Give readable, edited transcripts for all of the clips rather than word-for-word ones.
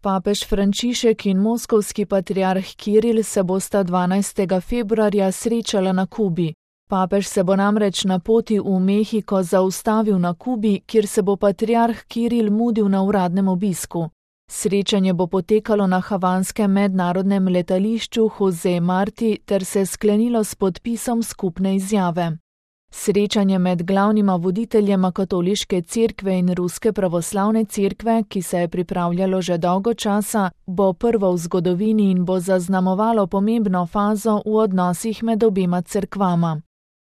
Papež Frančišek in moskovski patriarh Kiril se bosta 12. februarja srečala na Kubi. Papež se bo namreč na poti v Mehiko zaustavil na Kubi, kjer se bo patriarh Kiril mudil na uradnem obisku. Srečanje bo potekalo na havanskem mednarodnem letališču Jose Marti ter se sklenilo s podpisom skupne izjave. Srečanje med glavnima voditeljema katoliške cerkve in ruske pravoslavne cerkve, ki se je pripravljalo že dolgo časa, bo prvo v zgodovini in bo zaznamovalo pomembno fazo v odnosih med obema cerkvama.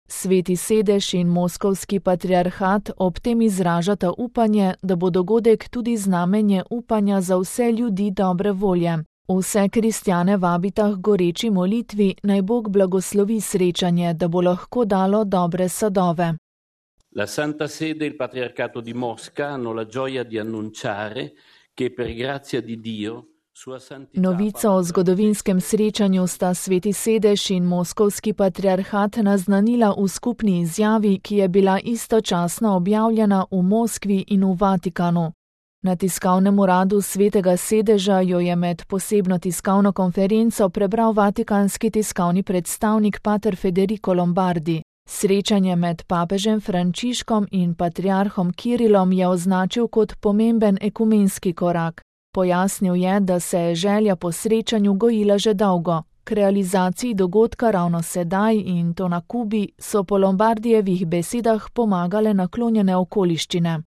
Sveti sedež in moskovski patriarhat ob tem izražata upanje, da bo dogodek tudi znamenje upanja za vse ljudi dobre volje. Vse kristjane vabita k goreči molitvi, naj Bog blagoslovi srečanje, da bo lahko dalo dobre sadove. La Santa Sede e il Patriarcato di Mosca hanno la gioia di annunciare che per grazia di Dio sua santità. Novico o zgodovinskem srečanju sta Sveti sedež in moskovski patriarhat naznanila v skupni izjavi, ki je bila istočasno objavljena v Moskvi in v Vatikanu. Na tiskovnem uradu Svetega sedeža jo je med posebno tiskovno konferenco prebral vatikanski tiskovni predstavnik pater Federico Lombardi. Srečanje med papežem Frančiškom in patriarhom Kirilom je označil kot pomemben ekumenski korak. Pojasnil je, da se je želja po srečanju gojila že dolgo. K realizaciji dogodka ravno sedaj in to na Kubi so po Lombardijevih besedah pomagale naklonjene okoliščine.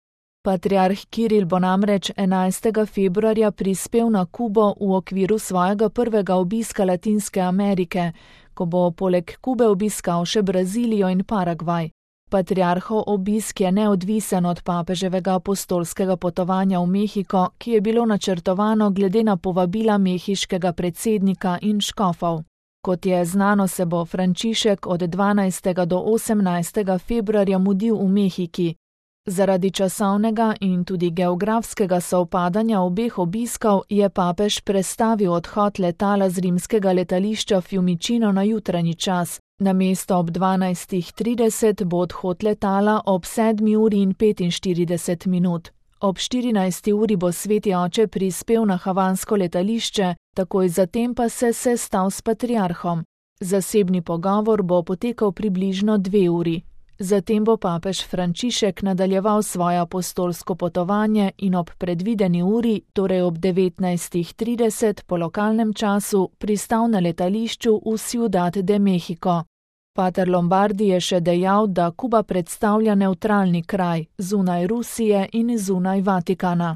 Patriarh Kiril bo namreč 11. februarja prispel na Kubo v okviru svojega prvega obiska Latinske Amerike, ko bo poleg Kube obiskal še Brazilijo in Paragvaj. Patriarhov obisk je neodvisen od papeževega apostolskega potovanja v Mehiko, ki je bilo načrtovano glede na povabila mehiškega predsednika in škofov. Kot je znano, se bo Frančišek od 12. do 18. februarja mudil v Mehiki. Zaradi časovnega in tudi geografskega sovpadanja obeh obiskov je papež prestavil odhod letala z rimskega letališča Fiumicino na jutranji čas. Namesto ob 12:30 bo odhod letala ob 7:45. Ob 14. uri bo sveti oče prispel na havansko letališče, takoj zatem pa se sestal s patriarhom. Zasebni pogovor bo potekal približno 2 uri. Zatem bo papež Frančišek nadaljeval svoje apostolsko potovanje in ob predvideni uri, torej ob 19:30 po lokalnem času, pristal na letališču v Ciudad de México. Pater Lombardi je še dejal, da Kuba predstavlja nevtralni kraj, zunaj Rusije in zunaj Vatikana.